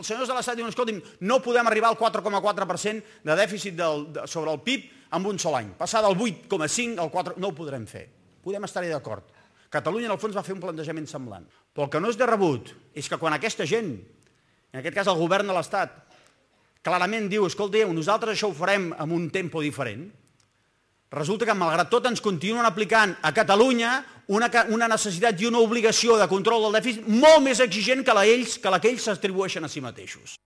Els senyors de l'Estat diuen, escolti'm, no podem arribar al 4,4% de dèficit sobre el PIB en un sol any. Passar del 8,5 al 4, no ho podrem fer. Podem estar-hi d'acord. Catalunya, en el fons, va fer un plantejament semblant. Però el que no és de rebut és que quan aquesta gent, en aquest cas el govern de l'Estat, clarament diu, escolteu, nosaltres això ho farem amb un tempo diferent, resulta que, malgrat tot, ens continuen aplicant a Catalunya una necessitat i una obligació de control del dèficit molt més exigent que la que ells s'atribueixen a si mateixos.